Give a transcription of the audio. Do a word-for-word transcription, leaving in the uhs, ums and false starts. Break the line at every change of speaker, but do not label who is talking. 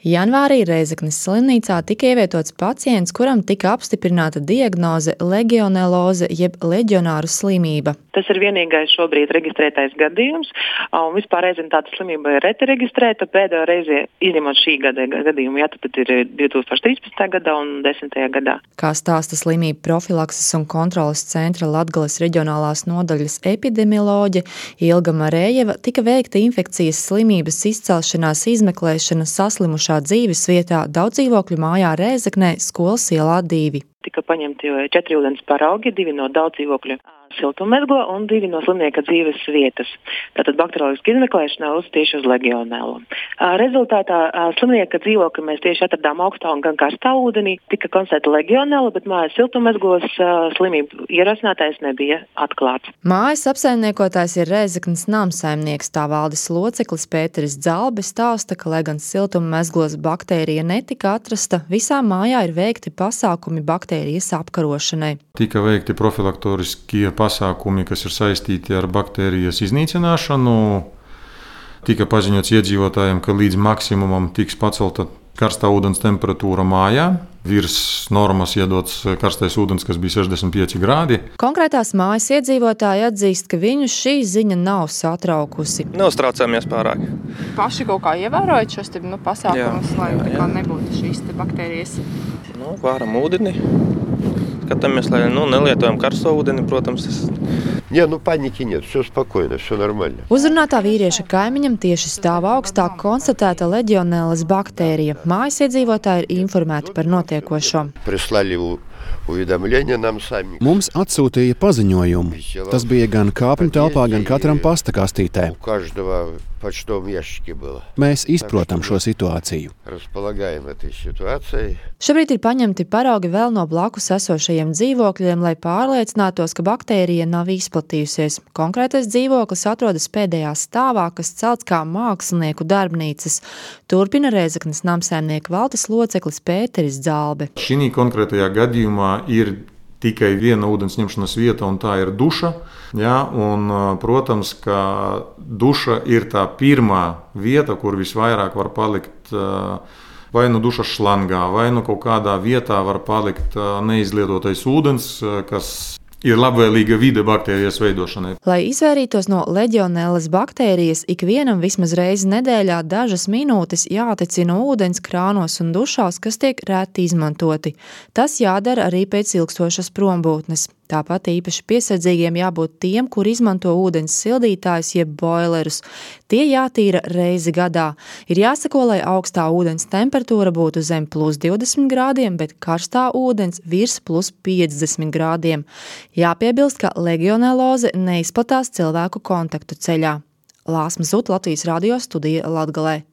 Janvārī Rēzeknes slimnīcā tika ievietots pacients, kuram tika apstiprināta diagnoze legioneloze jeb leģionāru slimība.
Tas ir vienīgais šobrīd reģistrētais gadījums, un vispār reizēm tāda slimība ir reti reģistrēta. Pēdējo reizi, izņemot šī gada gadījumu, jā, tad ir divi tūkstoši trīspadsmitajā gadā un desmitajā gadā.
Kā stāsta slimību profilakses un kontroles centra Latgales reģionālās nodaļas epidemioloģe Ilga Marējeva, tika veikta infekcijas slimības izcelšanās izmeklēšana saslimušā dzīvesvietā daudzdzīvokļu mājā Rēzeknē, Skolas ielā divi.
Tika paņemti četri ūdens paraugi, divi no daudzdzīvokļu siltummezgla un divi no slimnieka dzīves vietas. Tātad bakterioloģiska izmeklēšana uz tieši uz legionelu. Rezultātā slimnieka dzīvokli mēs tieši atradām augstā un gan karstā ūdenī. Tika konstatēta legionela, bet mājas siltummezglos slimību ierosinātājs nebija atklāts.
Mājas apsaimniekotājs ir Rēzeknes namsaimnieks, tā valdes loceklis Pēteris Dzalbis stāsta, ka, lai gan siltummezglos baktērija netika atrasta, visā mājā ir veikti pasākumi baktērijas apkarošanai.
Tika veikti profilaktoriskie pasākumi, kas ir saistīti ar baktērijas iznīcināšanu. Tika paziņots iedzīvotājiem, ka līdz maksimumam tiks pacelta karstā ūdens temperatūra mājā. Virs normas iedots karstais ūdens, kas bija sešdesmit pieci grādi.
Konkrētās mājas iedzīvotāji atzīst, ka viņus šī ziņa nav satraukusi.
Neuztraucāmies pārāk.
Paši kaut kā ievērojat šos te, nu, pasākumus, lai
jā, jā.
nebūtu šīs te baktērijas?
Nu, vāram ūdeni. Skatāmies, lai nu, nelietojam karsto ūdeni, protams. Tas...
Не, ну паники нет, все спокойно, все нормально.
Uzrunātā vīrieša kaimiņam tieši stāva augstāk konstatēta leģionēlas baktērija. Mājas iedzīvotāji ir informēti par notiekošo.
Прислали уведомление нам сами.
Mums atsūtīja paziņojumu. Tas bija gan kāpņu telpā, gan katram pasta kastītē.
У каждого в почтовом ящике было.
Mēs izprotam šo situāciju.
Располагаем этой ситуацией.
Šobrīd ir paņemti paraugi vēl no blakus esošajiem dzīvokļiem, lai pārliecinātos, ka baktērija nav izplatījusies. Konkrētais dzīvoklis atrodas pēdējā stāvā, kas celts kā mākslinieku darbnīcas. Turpina Rēzeknes namsaimnieka valdes loceklis Pēteris Dzalbe.
Šī konkrētajā gadījumā ir tikai viena ūdens ņemšanas vieta, un tā ir duša. Ja, un, protams, ka duša ir tā pirmā vieta, kur visvairāk var palikt vai nu dušas šlangā, vai nu kaut kādā vietā var palikt neizlietotais ūdens, kas ir labvēlīga vide baktērijas veidošanai.
Lai izvairītos no leģionēlas baktērijas, ikvienam vismaz reizi nedēļā dažas minūtes jātecina ūdens krānos un dušās, kas tiek reti izmantoti. Tas jādara arī pēc ilgstošas prombūtnes. Tāpat īpaši piesardzīgiem jābūt tiem, kur izmanto ūdens sildītājus jeb boilerus. Tie jātīra reizi gadā. Ir jāsako, lai augstā ūdens temperatūra būtu zem plus divdesmit grādiem, bet karstā ūdens virs plus piecdesmit grādiem. Jāpiebilst, ka legioneloze neizplatās cilvēku kontaktu ceļā. Lāsma Zut, Latvijas radio studija Latgalē.